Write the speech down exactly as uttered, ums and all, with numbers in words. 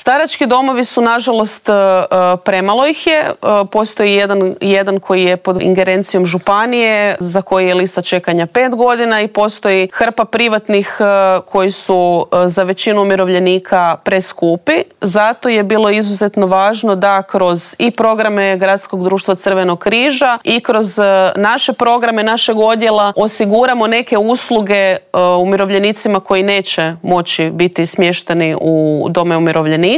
Starački domovi su, nažalost, premalo ih je. Postoji jedan, jedan koji je pod ingerencijom županije, za koji je lista čekanja pet godina, i postoji hrpa privatnih koji su za većinu umirovljenika preskupi. Zato je bilo izuzetno važno da kroz i programe Gradskog društva Crvenog križa i kroz naše programe našeg odjela osiguramo neke usluge umirovljenicima koji neće moći biti smješteni u dome umirovljenika.